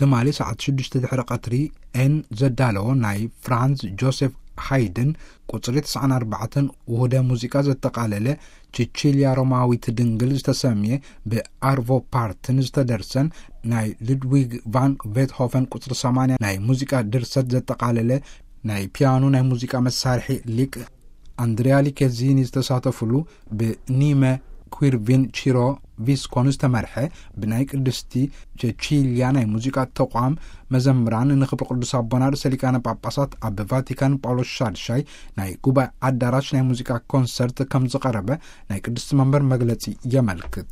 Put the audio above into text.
ትማሊ ሰዓት ሽዱሽተ ድሕሪ ቀትሪ ኤን ዘዳለዎ ናይ ፍራንዝ ጆሴፍ ሃይድን ቁጽሪ ትስዓን ኣርባዕተን ውህደ ሙዚቃ ዘጠቓለለ ቺቺልያ ሮማዊት ድንግል ዝተሰምየ ብኣርቮ ፓርትን ዝተደርሰን ናይ ሉድዊግ ቫን ቤትሆፈን ቁጽሪ ሰማንያ ናይ ሙዚቃ ድርሰት ዘጠቓለለ ናይ ፒያኖ ናይ ሙዚቃ መሳርሒ ሊቅ ኣንድሪያ ሊኬዚኒ ዝተሳተፉሉ ብኒመ ኲርቪን ቺሮ ቪስኮን ዝተመርሐ ብናይ ቅድስቲ ቸቺልያ ናይ ሙዚቃ ተቋም መዘምራን ንክብሪ ቅዱስ ኣቦና ርእሰ ሊቃነ ጳጳሳት ኣብ ቫቲካን ጳውሎስ ሻድሻይ ናይ ጉባኤ ኣዳራሽ ናይ ሙዚቃ ኮንሰርት ከም ዝቐረበ ናይ ቅድስቲ መንበር መግለጺ የመልክት።